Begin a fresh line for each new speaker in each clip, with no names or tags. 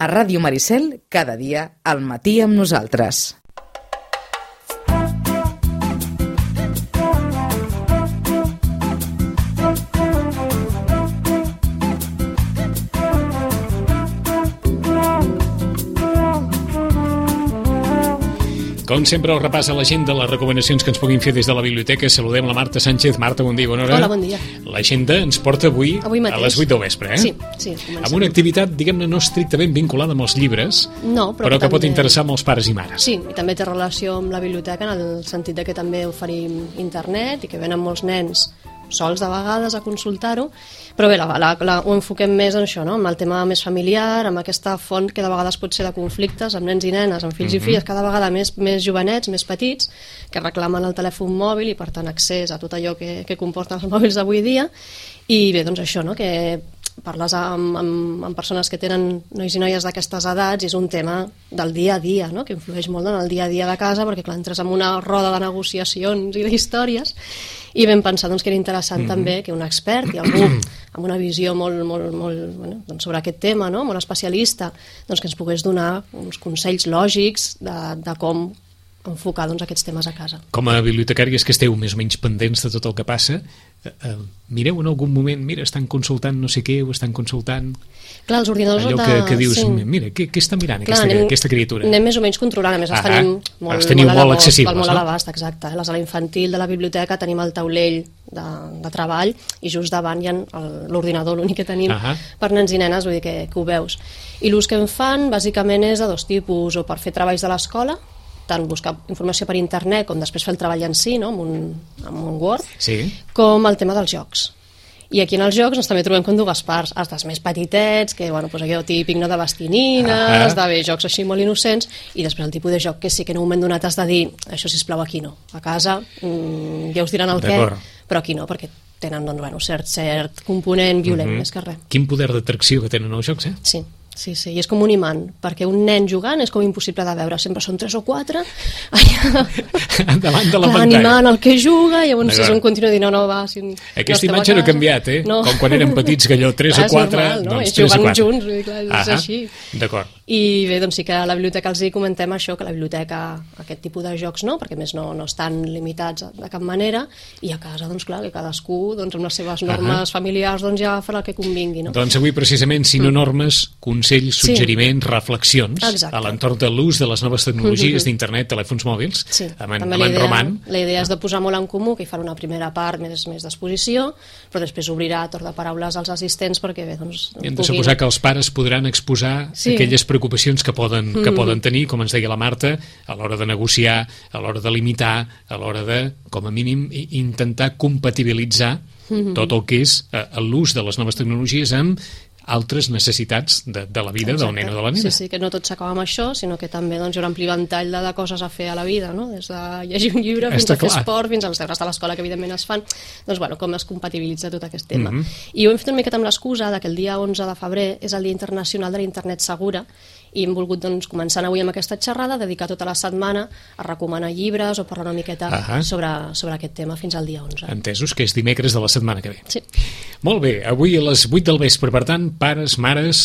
A Ràdio Maricel, cada dia, al matí amb nosaltres.
Com sempre, el repàs a l'agenda, les recomanacions que ens puguin fer des de la biblioteca. Saludem la Marta Sánchez. Marta, bon dia, bona hora.
Hola, bon dia.
L'agenda ens porta avui a les 8 del vespre,
Sí,
amb una activitat, diguem-ne, no estrictament vinculada amb els llibres, però que pot interessar molts pares i mares.
Sí, i també té relació amb la biblioteca en el sentit de que també oferim internet i que venen molts nens sols de vegades a consultar-ho, però bé, ho enfoquem més en això, no? Amb el tema més familiar, amb aquesta font que de vegades pot ser de conflictes amb nens i nenes, amb fills i filles, cada vegada més jovenets, més petits, que reclamen el telèfon mòbil i per tant accés a tot allò que comporten els mòbils d'avui dia. I bé, doncs això, no? Que parles amb persones que tenen nois i noies d'aquestes edats i és un tema del dia a dia, no? Que influeix molt en el dia a dia de casa, perquè clar, entres en una roda de negociacions i d'històries i vam pensar doncs, que era interessant també que un expert i algú amb una visió molt doncs, sobre aquest tema, no? Molt especialista, doncs, que ens pogués donar uns consells lògics de com enfocar doncs, aquests temes a casa.
Com a bibliotecàries que esteu més o menys pendents de tot el que passa, mireu en algun moment, mira, estan consultant no sé què, o estan consultant...
Clar, els ordinadors...
Allò que dius, mira, què està mirant aquesta criatura?
Anem més o menys controlant, a més els tenim
molt accessibles,
molt a l'abast, exacte. A la sala infantil de la biblioteca tenim el taulell de treball i just davant hi ha l'ordinador, l'únic que tenim per nens i nenes, vull dir que ho veus. I l'ús que en fan, bàsicament, és de dos tipus, o per fer treballs de l'escola, tant buscar informació per internet com després fer el treball en si, no? amb un Word, com el tema dels jocs. I aquí en els jocs també trobem com dues parts, els dels més petitets, que doncs allò típic, no, de bastinines, de jocs així molt innocents, i després el tipus de joc que sí que en un moment donat has de dir, això sisplau aquí no, a casa ja us diran el què, però aquí no, perquè tenen cert component violent, més que res.
Quin poder d'atracció que tenen els jocs,
Sí, i és com un imant, perquè un nen jugant és com impossible de veure, sempre són 3 o 4
davant de la pantalla
animant el que juga, i llavors és un continu de dir no, va...
Aquesta imatge no ha canviat, com quan érem petits, que allò 3 o 4, doncs 3 o 4
junts, és així.
D'acord.
I bé, doncs sí que a la biblioteca els hi comentem això, que la biblioteca aquest tipus de jocs no, perquè més no estan limitats de cap manera, i a casa, doncs clar, que cadascú amb les seves normes familiars ja farà el que convingui, no?
Doncs avui precisament, si no normes, consells, suggeriments, reflexions a l'entorn de l'ús de les noves tecnologies d'internet, telèfons mòbils, amb en Roman.
La idea és de posar molt en comú, que hi farà una primera part més d'exposició, però després obrirà torn de paraules als assistents perquè bé, doncs...
I hem de suposar que els pares podran exposar aquelles preocupacions que poden tenir, com ens deia la Marta, a l'hora de negociar, a l'hora de limitar, a l'hora de, com a mínim, intentar compatibilitzar tot el que és l'ús de les noves tecnologies amb altres necessitats de la vida del nen o de la nena.
Sí, que no tot s'acaba amb això, sinó que també hi haurà un ampli ventall de coses a fer a la vida, no? Des de llegir un llibre fins a fer esport, fins als deures de l'escola que evidentment es fan, doncs com es compatibilitza tot aquest tema. I ho hem fet una miqueta amb l'excusa que el dia 11 de febrer és el Dia Internacional de la Internet Segura, i hem volgut, començant avui amb aquesta xerrada, dedicar tota la setmana a recomanar llibres o parlar una miqueta sobre aquest tema fins al dia 11.
Entesos, que és dimecres de la setmana que ve.
Sí.
Molt bé, avui a les 8 del vespre, per tant, pares, mares,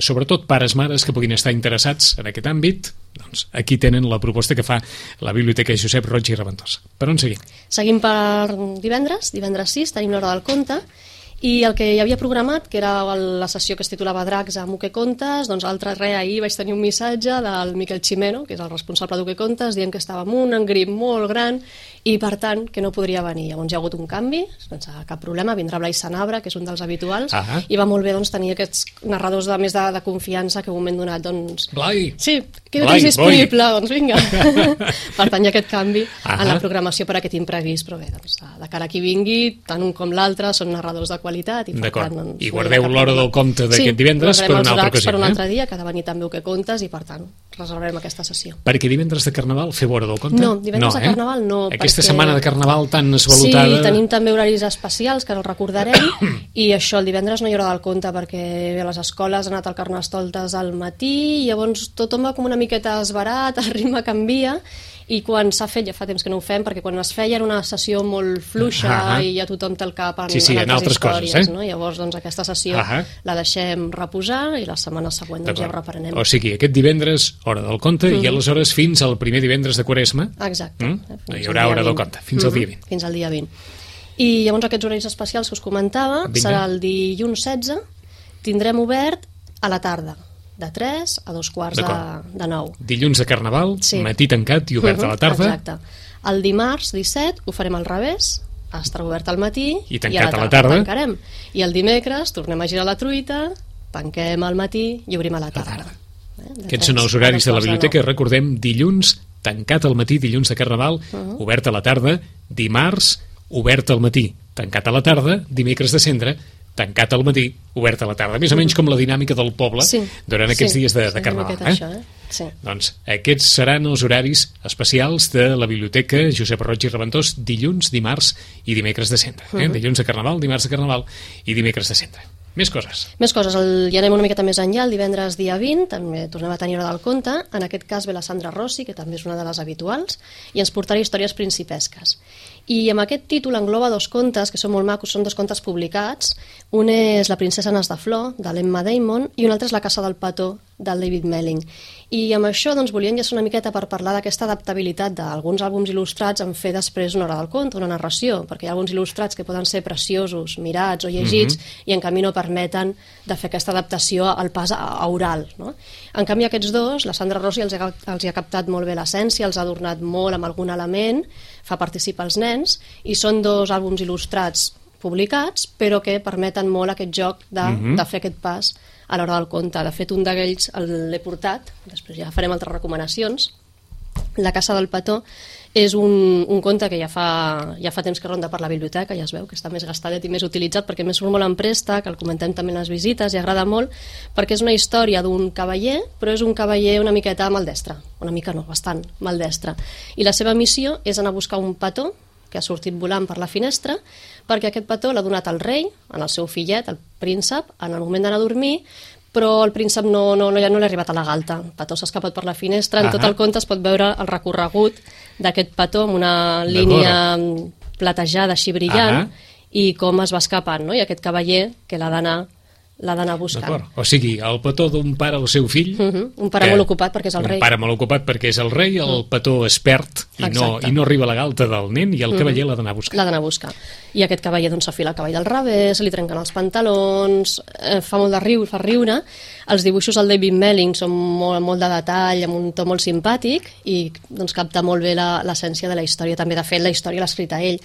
sobretot pares, mares que puguin estar interessats en aquest àmbit, doncs aquí tenen la proposta que fa la Biblioteca Josep Roig i Reventós. Per on seguim?
Seguim per divendres 6, tenim l'hora del conte, i el que hi havia programat, que era la sessió que es titulava Dracs amb Uque Contes, doncs ahir vaig tenir un missatge del Miquel Ximeno, que és el responsable d'Uque Contes, dient que estava amb un engrip molt gran i per tant que no podria venir. Llavors hi ha hagut un canvi, sense cap problema, vindrà Blai Sanabra, que és un dels habituals, i va molt bé tenir aquests narradors més de confiança que en un moment donat
Blai!
Sí, que no tens disponible, doncs vinga. Per tant hi ha aquest canvi en la programació per aquest imprevist, però bé, de cara a qui vingui, tant un com l'altre són narradors de qualitat.
D'acord, i guardeu l'hora del conte d'aquest divendres per una altra ocasió.
Per un altre dia, que ha de venir també Uque Contes, i per tant reservarem aquesta sessió.
Perquè divendres de Carnaval feu hora del conte?
No, divendres de Carnaval no.
Aquesta setmana de Carnaval tan esvalutada...
Sí, tenim també horaris especials que el recordarem, i això, el divendres no hi haurà del conte perquè a les escoles ha anat el Carnestoltes al matí, i llavors tothom va com una miqueta esverat, el ritme canvia, i quan s'ha fet, ja fa temps que no ho fem, perquè quan es feia era una sessió molt fluixa i ja tothom té el cap en altres històries,
coses,
no? Llavors doncs, aquesta sessió la deixem reposar i la setmana següent doncs, ja ho reprenem.
O sigui, aquest divendres, hora del conte, i aleshores fins al primer divendres de Quaresma.
Exacte.
No hi haurà hora del conte, fins al dia 20.
Fins al dia 20. I llavors aquests horaris especials que us comentava serà el dilluns 16, tindrem obert a la tarda, de 3 a 2:15 de 9.
Dilluns de Carnaval, matí tancat i obert a la tarda.
Exacte. El dimarts 17 ho farem al revés, estarà obert al matí
i tancat a la tarda.
Tancarem. I el dimecres tornem a girar la truita, tanquem al matí i obrim a la tarda.
Aquests són els horaris de la biblioteca. Recordem, dilluns tancat al matí, dilluns de Carnaval, obert a la tarda, dimarts obert al matí, tancat a la tarda, dimecres de Cendra, tancat al matí, obert a la tarda. Més o menys com la dinàmica del poble durant aquests dies de Carnaval. Doncs aquests seran els horaris especials de la Biblioteca Josep Roig i Reventós, dilluns, dimarts i dimecres de Cendra. Dilluns de Carnaval, dimarts de Carnaval i dimecres de Cendra. Més coses.
Més coses. Ja anem una miqueta més enllà. El divendres dia 20 també tornem a tenir hora del conte. En aquest cas ve la Sandra Rossi, que també és una de les habituals, i ens portarà històries principesques. I amb aquest títol engloba dos contes que són molt macos, són dos contes publicats. Un és La princesa Nas de Flor, de l'Emma Damon, i un altre és La casa del petó, del David Melling. I amb això doncs, volia enllaçar una miqueta per parlar d'aquesta adaptabilitat d'alguns àlbums il·lustrats en fer després una hora del conte, una narració, perquè hi ha alguns il·lustrats que poden ser preciosos, mirats o llegits, i en canvi no permeten de fer aquesta adaptació al pas a oral. No? En canvi aquests dos, la Sandra Rossi els ha captat molt bé l'essència, els ha adornat molt amb algun element, fa participar els nens, i són dos àlbums il·lustrats publicats, però que permeten molt aquest joc de fer aquest pas a l'hora del conte. De fet, un d'aquells l'he portat, després ja farem altres recomanacions. La casa del petó és un conte que ja fa temps que ronda per la biblioteca, ja es veu que està més gastadet i més utilitzat perquè més surt molt en préstec, el comentem també en les visites i agrada molt, perquè és una història d'un cavaller, però és un cavaller una miqueta maldestre, una mica no, bastant maldestre, i la seva missió és anar a buscar un petó que ha sortit volant per la finestra, perquè aquest petó l'ha donat al rei, en el seu fillet, el príncep, en el moment d'anar a dormir, però el príncep no li ha arribat a la galta. El petó s'ha escapat per la finestra. En tot el conte es pot veure el recorregut d'aquest petó amb una línia platejada així brillant i com es va escapant, no? I aquest cavaller que l'ha d'anar buscant.
O sigui, el petó d'un pare al seu fill...
Un pare molt ocupat perquè és el rei.
Un pare molt ocupat perquè és el rei, el petó es perd i no arriba a la galta del nen i el cavaller l'ha d'anar a buscar.
L'ha d'anar a buscar. I aquest cavaller doncs s'afila el cavall del revés, li trenquen els pantalons, fa molt de riure, fa riure. Els dibuixos del David Melling són molt de detall, amb un to molt simpàtic i doncs capta molt bé l'essència de la història. També, de fet, la història l'ha escrita ell.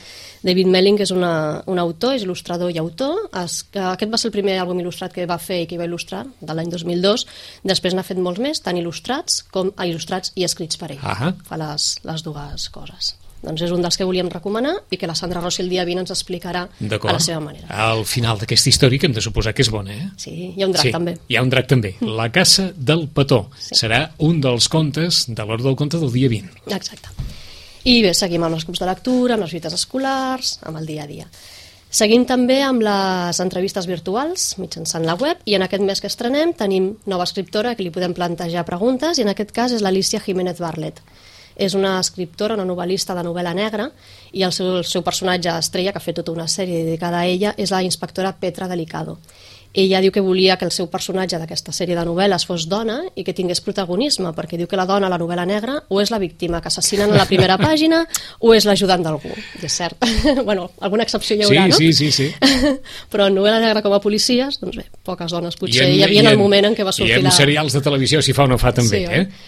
David Melling és un autor, és il·lustrador i autor. Aquest va ser el primer àlbum il·lustrat que va fer i que va il·lustrar, de l'any 2002. Després n'ha fet molts més, tant il·lustrats i escrits per ell. Fa les dues coses. Doncs és un dels que volíem recomanar i que la Sandra Rossi el dia 20 ens explicarà a la seva manera.
Al final d'aquesta història, que hem de suposar que és bona, eh?
Sí, hi ha un drac també.
Hi ha un drac també. La casa del petó serà un dels contes de l'hora del conte del dia 20.
Exacte. I bé, seguim amb els clubs de lectura, amb les visites escolars, amb el dia a dia. Seguim també amb les entrevistes virtuals mitjançant la web i en aquest mes que estrenem tenim nova escriptora que li podem plantejar preguntes i en aquest cas és l'Alicia Jiménez Barlet. És una escriptora, una novel·lista de novel·la negra i el seu personatge estrella, que ha fet tota una sèrie dedicada a ella, és la inspectora Petra Delicado. Ella diu que volia que el seu personatge d'aquesta sèrie de novel·les fos dona i que tingués protagonisme, perquè diu que la dona a la novel·la negra o és la víctima que assassinen a la primera pàgina o és l'ajudant d'algú. I és cert. Bueno, alguna excepció hi haurà, no?
Sí.
Però en novel·la negra com a policies, doncs bé, poques dones potser hi havia en el moment en què va sortir
I en serials de televisió si fa o no fa també,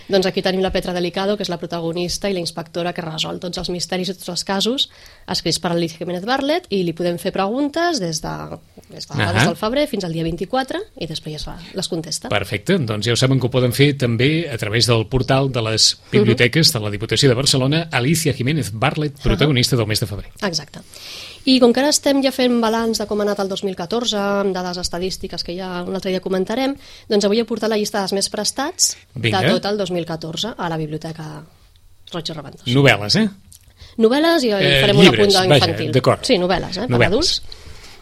Doncs aquí tenim la Petra Delicado, que és la protagonista i la inspectora que resol tots els misteris i tots els casos, escrits per Alicia Jiménez Barlet, i li podem fer preguntes des del febrer fins al dia 24 i després les contesta.
Perfecte, doncs ja ho saben que ho poden fer també a través del portal de les biblioteques de la Diputació de Barcelona, Alicia Jiménez Barlet, protagonista del mes de febrer.
Exacte. I com que ara estem ja fent balanç de com ha anat el 2014, amb dades estadístiques que ja un altre dia comentarem, doncs avui he portat la llista dels més prestats de tot el 2014 a la Biblioteca Roig i Reventós.
Novel·les,
Novel·les i farem un apunt d'infantil.
D'acord.
Sí, novel·les, per adults.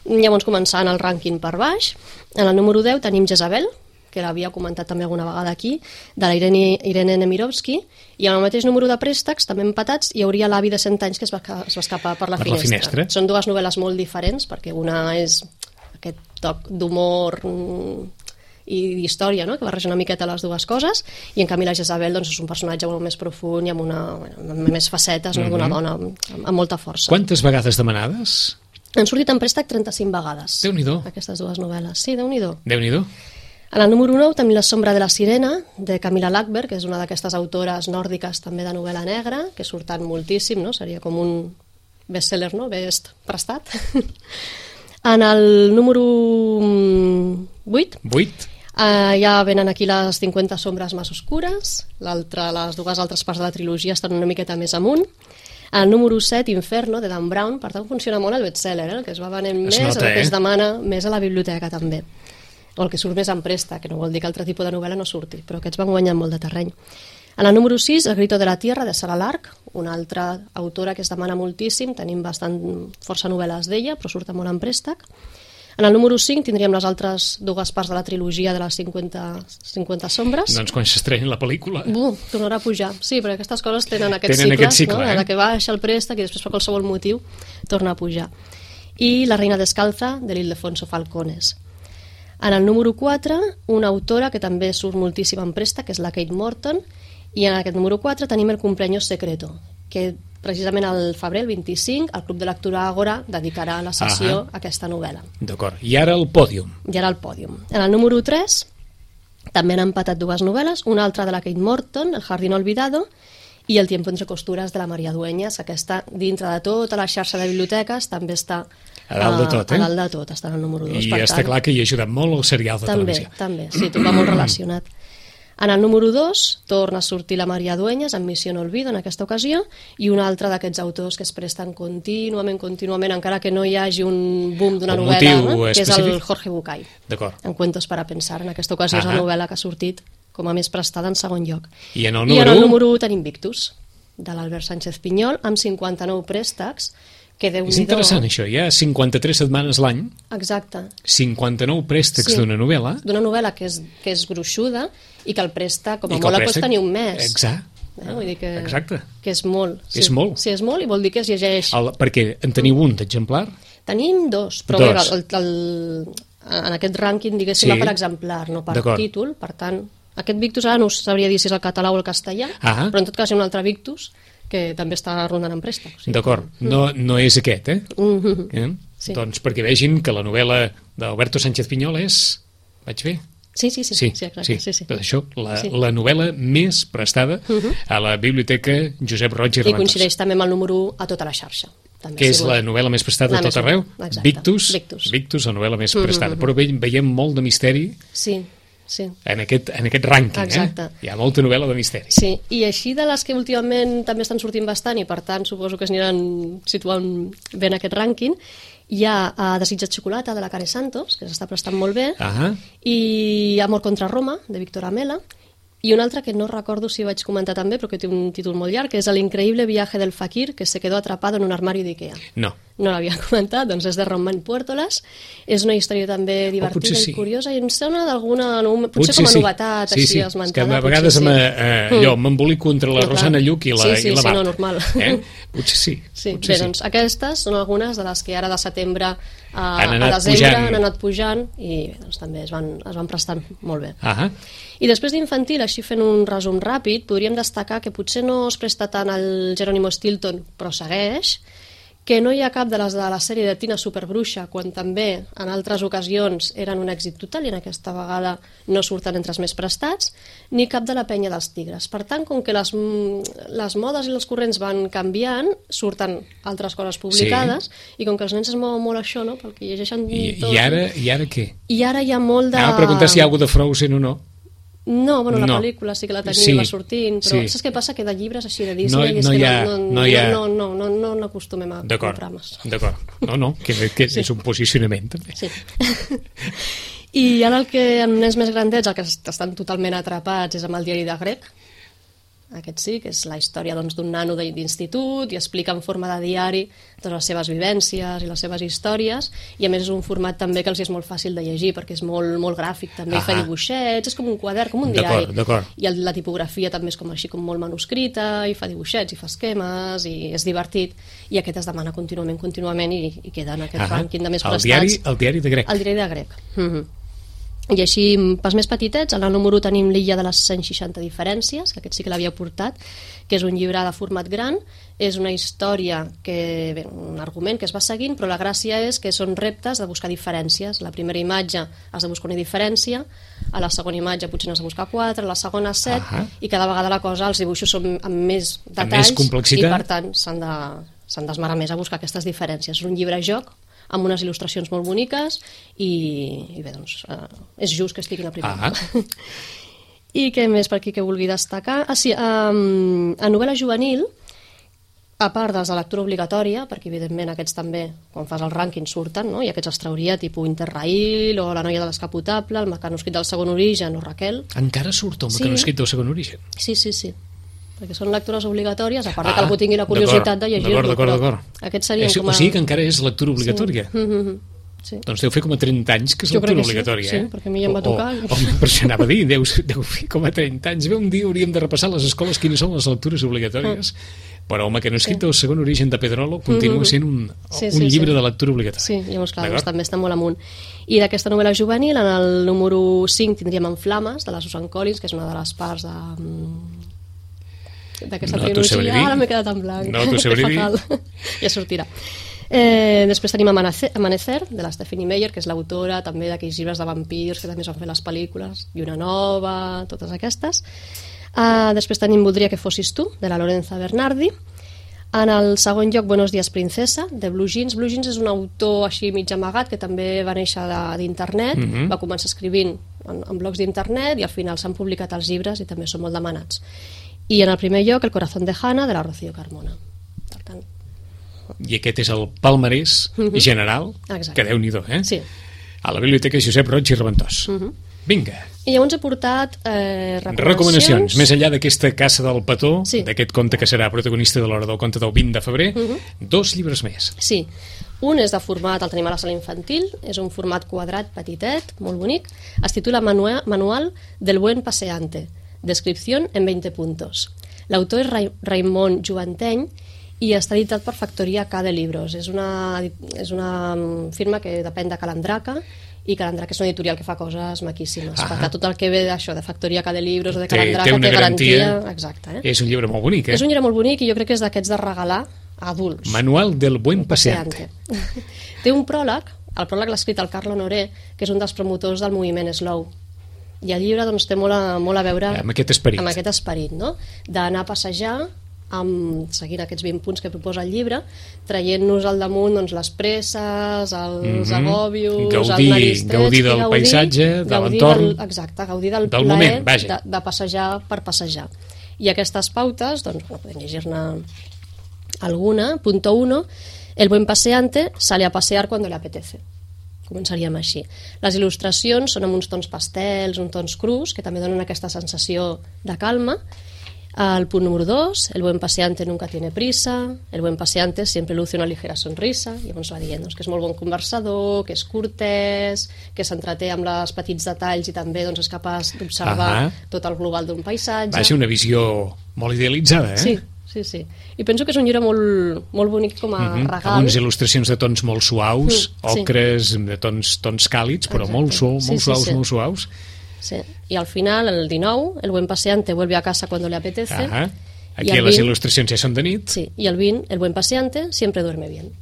Llavors, començant el rànquing per baix, en el número 10 tenim Jezabel, que l'havia comentat també alguna vegada aquí, de la Irene Nemirovsky, i amb el mateix número de préstecs, també empatats, hi hauria L'avi de 100 anys que es va escapar per la finestra. Són dues novel·les molt diferents, perquè una és aquest toc d'humor i d'història, no?, que barreja una miqueta les dues coses, i en canvi la Jezabel doncs, és un personatge molt més profund i amb més facetes, no?, d'una dona amb molta força.
Quantes vegades demanades?
Han sortit en préstec 35 vegades.
Déu-n'hi-do.
Aquestes dues novel·les. Sí, Déu-n'hi-do.
Déu-n'hi-do.
En el número 9 tenim La sombra de la sirena, de Camilla Lackberg, que és una d'aquestes autores nòrdiques també de novel·la negra, que surten moltíssim, no?, seria com un bestseller, no?, best prestat. En el número 8 ja venen aquí les 50 sombres més oscures, les dues altres parts de la trilogia estan una miqueta més amunt. El número 7, Inferno, de Dan Brown, per tant funciona molt el bestseller, el que es va venent més, el que es demana més a la biblioteca també, o el que surt més en préstec, que no vol dir que altre tipus de novel·la no surti, però aquests van guanyant molt de terreny. En el número 6, El grito de la tierra, de Sarah Lark, una altra autora que es demana moltíssim, tenim força novel·les d'ella, però surten molt en préstec. En el número 5 tindríem les altres dues parts de la trilogia de les 50 sombres.
Doncs quan s'estreni la pel·lícula...
Tornarà a pujar. Sí, perquè aquestes coses tenen aquests cicles, no? Que baixa el préstec i després per qualsevol motiu torna a pujar. I La reina descalza, de l'Ildefonso Falcones. En el número 4, una autora que també surt moltíssim en préstec, que és la Kate Morton, i en aquest número 4 tenim El cumpleaños secreto, que precisament al febrer, el 25, el Club de Lectura Àgora dedicarà la sessió a aquesta novel·la.
D'acord. I ara el pòdium.
En el número 3 també han empatat dues novel·les, una altra de la Kate Morton, El jardín olvidado, i El tiempo entre costuras, de la Maria Dueñas. Aquesta, dintre de tota la xarxa de biblioteques, també està
a dalt de tot,
a dalt de tot, està en el número 2.
I està clar que hi ha ajudat molt el serial de televisió.
També, sí, tot va molt relacionat. En el número 2 torna a sortir la Maria Dueñas amb Missió no olvido en aquesta ocasió, i un altre d'aquests autors que es presten contínuament, encara que no hi hagi un boom d'una novel·la, que és el Jorge Bucay.
D'acord.
En Cuentos para pensar, en aquesta ocasió és la novel·la que ha sortit com a més prestada en segon lloc.
I en el
número 1 tenim Victus, de l'Albert Sánchez Pinyol, amb 59 préstecs, que Déu-n'hi-do...
És interessant això, hi ha 53 setmanes l'any.
Exacte.
59 préstecs d'una novel·la.
D'una novel·la que és gruixuda i que el préstec, com a molt, pot tenir un mes.
Exacte.
Vull dir que és molt.
Sí. És molt.
Sí, és molt, i vol dir que es llegeix...
Perquè en teniu un d'exemplar?
Tenim dos, però bé, en aquest rànquing, diguéssim, per exemplar, no per títol, per tant... Aquest Victus ara no sabria dir si és el català o el castellà, però en tot cas hi ha un altre Victus que també està rondant en préstec.
D'acord, no és aquest,
Sí.
Doncs perquè vegin que la novel·la d'Alberto Sánchez Pinyol és... Vaig bé?
Sí, exacte. Sí.
Tot això, la novel·la més prestada a la Biblioteca Josep Roig i Raventós.
I coincideix també amb el número 1 a tota la xarxa.
Que és la novel·la més prestada a tot arreu? Victus, la novel·la més prestada. Però veiem molt de misteri. Sí. En aquest rànquing, hi ha molta novel·la de misteri.
Sí, i així de les que últimament també estan sortint bastant i per tant suposo que es aniran situant bé en aquest rànquing, hi ha Desitjat xocolata, de la Care Santos, que s'està prestant molt bé, i Amor contra Roma, de Víctor Amela, i un altre que no recordo si vaig comentar també, però que té un títol molt llarg, que és El increíble viaje del fakir que se quedó atrapado en un armario d'Ikea. No l'havia comentat, doncs és de Román Puertolas, és una història també divertida i curiosa, i em sona d'alguna... Potser com a novetat, així esmentada.
És que a vegades m'embolico entre la Rosana Lluc i la Marta.
Sí, no, normal.
Potser sí.
Bé, doncs aquestes són algunes de les que ara de setembre a desembre han anat pujant i també es van prestant molt bé. I després d'infantil, així fent un resum ràpid, podríem destacar que potser no es presta tant al Jerónimo Stilton, però segueix, que no hi ha cap de les de la sèrie de Tina Superbruixa, quan també en altres ocasions eren un èxit total i en aquesta vegada no surten entre els més prestats, ni cap de la Penya dels Tigres. Per tant, com que les modes i els corrents van canviant, surten altres coses publicades, i com que els nens es mouen molt això, no?, pel que llegeixen tot...
I ara què?
I ara hi ha molt de...
Anava a preguntar si hi ha alguna de Frozen o no.
No, bueno, la pel·lícula sí que la tenim, va sortint, però saps què passa? Que de llibres així de Disney no n'acostumem a comprar més.
D'acord, que és un posicionament també.
Sí. I ara el que en nens més grandets, el que estan totalment atrapats és amb el diari de Greg, Aquest sí, que és la història d'un nano d'institut i explica en forma de diari totes les seves vivències i les seves històries, i a més és un format també que els és molt fàcil de llegir perquè és molt gràfic també, i fa dibuixets, és com un quadern, com un diari. I la tipografia també és com així com molt manuscrita, i fa dibuixets, i fa esquemes, i és divertit, i aquest es demana contínuament i queda en aquest rànquing de més prestats.
El diari de grec.
El diari de grec. I així, pels més petitets, en el número tenim l'Illa de les 160 diferències, que aquest sí que l'havia portat, que és un llibre de format gran, és una història, un argument que es va seguint, però la gràcia és que són reptes de buscar diferències. La primera imatge has de buscar una diferència, a la segona imatge potser n'has de buscar 4, a la segona 7, i cada vegada la cosa, els dibuixos són amb més detalls, i per tant s'han d'esmerar més a buscar aquestes diferències. És un llibre-joc amb unes il·lustracions molt boniques i bé, doncs, és just que estiguin a primera. I què més per aquí que vulgui destacar? Sí, a novel·la juvenil, a part dels de lectura obligatòria, perquè evidentment aquests també, quan fas el rànquing, surten, no? I aquests els trauria, tipus Interrail, o La noia de l'escapotable, El mecanoscrit del segon origen, o Raquel.
Encara surt el mecanoscrit del segon origen?
Sí, perquè són lectures obligatòries, a part que algú tingui la curiositat de llegir-lo.
D'acord.
Aquests serien
o sigui que encara és lectura obligatòria.
Sí.
Doncs deu fer com a 30 anys que és lectura obligatòria.
Sí, perquè a mi ja em va tocar.
Per això anava a dir, deu fer com a 30 anys. Bé, un dia hauríem de repassar a les escoles quines són les lectures obligatòries, però el mecanoscrit del segon origen de Pedrolo continua sent un llibre de lectura obligatòria.
Sí, llavors clar, també està molt amunt. I d'aquesta novel·la juvenil, en el número 5 tindríem En flames, de la Susan Collins, que és una de les parts d'aquesta trilogia. Ara m'he quedat en blanc.
No t'ho sabré dir.
Ja sortirà. Després tenim Amanecer, de la Stephanie Meyer, que és l'autora també d'aquells llibres de vampirs que també es van fer les pel·lícules, i una nova, totes aquestes. Després tenim Voldria que fossis tu, de la Lorenza Bernardi. En el segon lloc, Buenos días princesa, de Blue Jeans. Blue Jeans és un autor així mig amagat que també va néixer d'internet, va començar escrivint en blogs d'internet i al final s'han publicat els llibres i també són molt demanats. I en el primer lloc, El corazón de Hannah, de la Rocío Carmona. Per tant...
I aquest és el palmarès general, que Déu-n'hi-do,
Sí.
A la Biblioteca Josep Roig i Reventós. Vinga.
I llavors he portat
recomanacions. Més enllà d'aquesta Caça del Petó, d'aquest conte que serà protagonista de l'hora del conte del 20 de febrer, 2 llibres més.
Sí. Un és de format, el tenim a la sala infantil, és un format quadrat, petitet, molt bonic. Es titula Manual del buen paseante. Descripción en 20 puntos. L'autor és Raimon Juvanteny i està editat per Factoria K de Libros. És una firma que depèn de Calandraca, i Calandraca és una editorial que fa coses maquíssimes. Per tant, tot el que ve d'això, de Factoria K de Libros o de Calandraca, té garantia. Exacte.
És un llibre molt bonic,
És un llibre molt bonic i jo crec que és d'aquests de regalar a adults.
Manual del buen paseante.
Té un pròleg, el pròleg l'ha escrit el Carlo Honoré, que és un dels promotors del moviment Slow. I el llibre doncs, té molt a veure
amb aquest
esperit, no? D'anar a passejar seguint aquests 20 punts que proposa el llibre, traient-nos al damunt doncs, les presses, els agòbios,
gaudir del paisatge, de l'entorn,
exacte, gaudir del
plaer
de passejar per passejar. I aquestes pautes, doncs, podem llegir-ne alguna. Punto 1, el buen paseante sale a pasear cuando le apetece. Començaríem així. Les il·lustracions són amb uns tons pastels, uns tons crus, que també donen aquesta sensació de calma. El punt número 2, el buen paseante nunca tiene prisa, el buen paseante siempre luce una ligera sonrisa. Llavors va dient que és molt bon conversador, que és cortès, que s'entreté amb els petits detalls i també doncs, és capaç d'observar tot el global d'un paisatge.
Va ser una visió molt idealitzada,
Sí. I penso que és un llibre molt bonic com a regal.
Amb unes il·lustracions de tons molt suaus, ocres, de tons càlids, però molt suaus.
Sí. I al final, el 19, el buen paseante vuelve a casa cuando le apetece.
Aquí les il·lustracions ja són de nit.
Sí. I el 20, el buen paseante siempre duerme bien.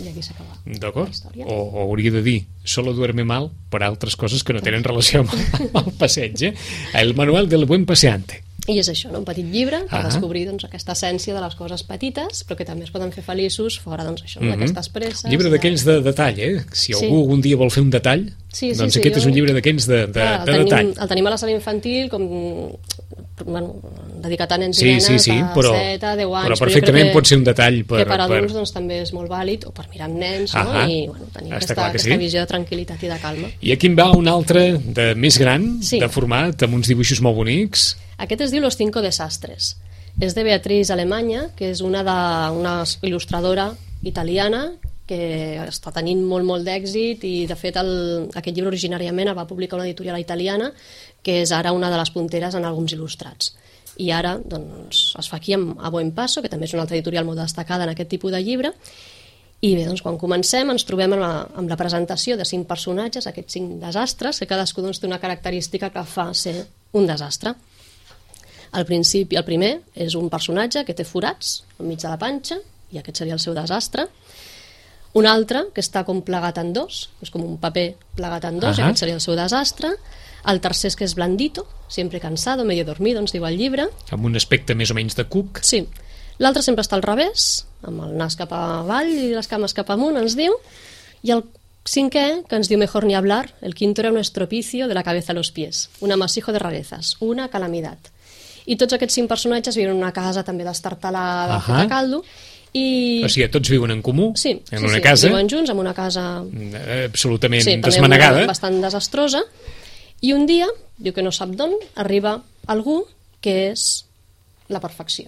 I aquí s'acaba la història.
O hauria de dir, solo duerme mal per altres coses que no tenen relació amb el passeig. El manual del buen paseante.
I és això, un petit llibre per descobrir aquesta essència de les coses petites, però que també es poden fer feliços fora d'aquestes presses.
Llibre d'aquells de detall, Si algú algun dia vol fer un detall, doncs aquest és un llibre d'aquells de detall.
El tenim a la sala infantil, com dedicat a nens i nenes de 7 a 10 anys.
Però perfectament pot ser un detall
que per adults doncs, també és molt vàlid, o per mirar amb nens, no? I tenir aquesta visió de tranquil·litat i de calma.
I aquí en va un altre de més gran, de format, amb uns dibuixos molt bonics.
Aquest es diu Los 5 desastres. És de Beatriz Alemanya, que és una il·lustradora italiana que està tenint molt d'èxit, i de fet aquest llibre originàriament el va publicar una editorial italiana que és ara una de les punteres en àlbums il·lustrats, i ara doncs, es fa aquí a Buen Paso, que també és una altra editorial molt destacada en aquest tipus de llibre. I bé, doncs, quan comencem ens trobem amb la presentació de 5 personatges, aquests 5 desastres, que cadascú doncs, té una característica que fa ser un desastre. Al principi, el primer és un personatge que té forats enmig de la panxa, i aquest seria el seu desastre. Un altre que està com plegat en dos, és com un paper plegat en dos, i aquest seria el seu desastre. El tercer és que és blandito, siempre cansado, medio dormido, ens diu el llibre.
Amb un aspecte més o menys de cuc.
Sí. L'altre sempre està al revés, amb el nas cap avall i les cames cap amunt, ens diu. I el cinquè, que ens diu mejor ni hablar, el quinto era un estropicio de la cabeza a los pies, un amasijo de rarezas, una calamidad. I tots aquests 5 personatges viuen en una casa també destartalada, feta caldo. O
sigui, tots viuen en comú, en una casa.
Sí, viuen junts, en una casa
absolutament desmanegada.
Bastant desastrosa. I un dia, diu que no sap d'on, arriba algú que és la perfecció.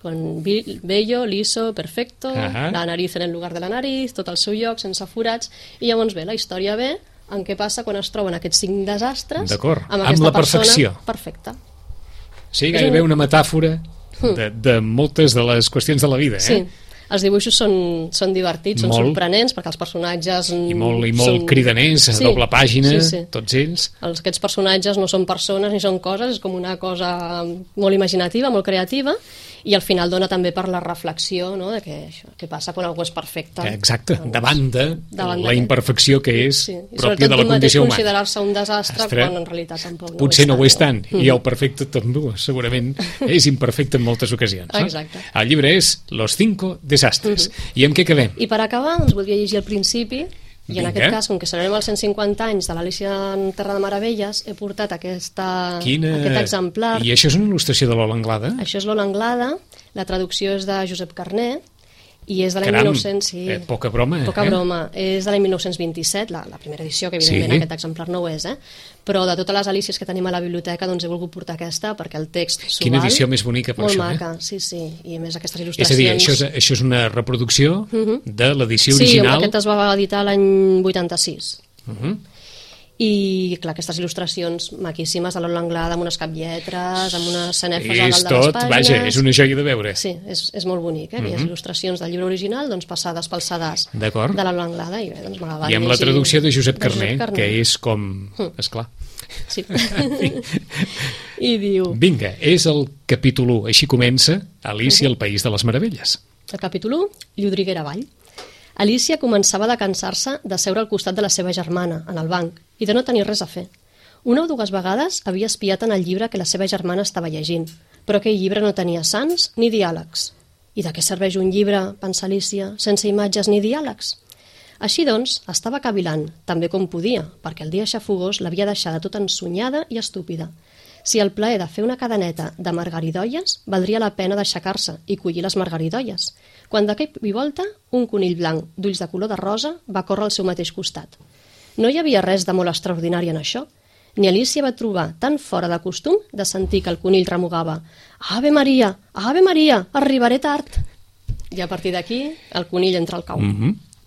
Con bello, liso, perfecto, la nariz en el lugar de la nariz, tot al seu lloc, sense forats, i llavors la història ve en què passa quan es troben aquests 5 desastres amb aquesta persona perfecta.
Sí, gairebé una metàfora de moltes de les qüestions de la vida.
Sí, els dibuixos són divertits, són sorprenents, perquè els personatges...
I molt cridaners, a doble pàgina, tots ells.
Aquests personatges no són persones ni són coses, és com una cosa molt imaginativa, molt creativa, i al final dona també per la reflexió, no?, de què passa quan algú és perfecte.
Exacte, davant de la imperfecció que és pròpia de la condició humana.
Considerar-se un desastre quan en realitat tampoc
potser no ho és tant, i el perfecte també segurament és imperfecte en moltes ocasions.
Exacte.
El llibre és Los 5 desastres. I amb què quedem?
I per acabar, doncs voldria llegir al principi. I en aquest cas, com que celebrem els 150 anys de l'Alícia en Terra de Meravelles, he portat aquest exemplar.
I això és una il·lustració de Lola Anglada?
Això és Lola Anglada, la traducció és de Josep Carné, i és de l'any 1900...
poca broma,
Poca broma. És de l'any 1927, la primera edició, que evidentment aquest exemplar no ho és, però de totes les Alícies que tenim a la biblioteca, doncs he volgut portar aquesta, perquè el text s'ho val.
Quina edició més bonica per
molt
això,
maca, sí, i a més aquestes il·lustracions...
És a dir, això és una reproducció de l'edició original...
Sí, aquest es va editar l'any 86. I, clar, aquestes il·lustracions maquíssimes de Lola Anglada, amb unes caplletres, amb unes cenefes a dalt de les pàgines...
Vaja, és una joia de veure.
Sí, és molt bonic, aquelles il·lustracions del llibre original, doncs passades pel sedàs de Lola Anglada, i bé, doncs m'agradava.
I amb la traducció de Josep Carné, que és com... Esclar.
Sí. I diu...
Vinga, és el capítol 1, així comença Alícia al País de les Meravelles.
El capítol 1, Llodriguera avall. Alícia començava a cansar-se de seure al costat de la seva germana, en el banc, i de no tenir res a fer. Una o dues vegades havia espiat en el llibre que la seva germana estava llegint, però aquell llibre no tenia sants ni diàlegs. I de què serveix un llibre, pensa Alícia, sense imatges ni diàlegs? Així doncs, estava cavilant, també com podia, perquè el dia xafogós l'havia deixada tota ensonyada i estúpida. Si el plaer de fer una cadeneta de margaridolles, valdria la pena d'aixecar-se i collir les margaridolles, quan de cop i volta un conill blanc d'ulls de color de rosa va córrer al seu mateix costat. No hi havia res de molt extraordinari en això, ni Alícia va trobar tan fora de costum de sentir que el conill remugava «Ave Maria, arribaré tard!» I a partir d'aquí el conill entra al cau.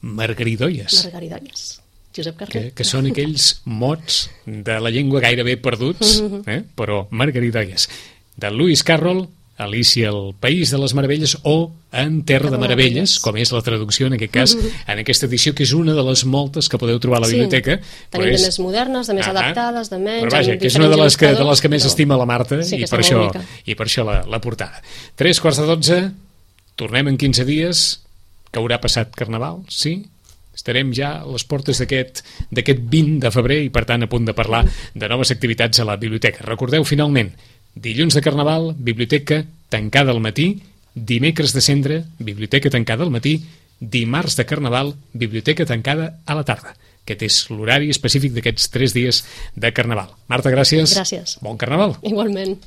Margaridolles.
Margaridolles. Josep Carné.
Que són aquells mots de la llengua gairebé perduts, però Margaridolles. De Lewis Carroll, Alícia al País de les Meravelles, o En Terra de Meravelles, com és la traducció en aquest cas, en aquesta edició, que és una de les moltes que podeu trobar a la biblioteca.
Tenim de més modernes, de més adaptades, de menys...
Però vaja, que és una de les que més estima la Marta, i per això la portada. 11:45, tornem en 15 dies, que haurà passat Carnaval, sí? Estarem ja a les portes d'aquest 20 de febrer i, per tant, a punt de parlar de noves activitats a la biblioteca. Recordeu, finalment, dilluns de Carnaval, biblioteca tancada al matí, dimecres de Cendra, biblioteca tancada al matí, dimarts de Carnaval, biblioteca tancada a la tarda. Aquest és l'horari específic d'aquests 3 dies de Carnaval. Marta, gràcies.
Gràcies.
Bon Carnaval.
Igualment.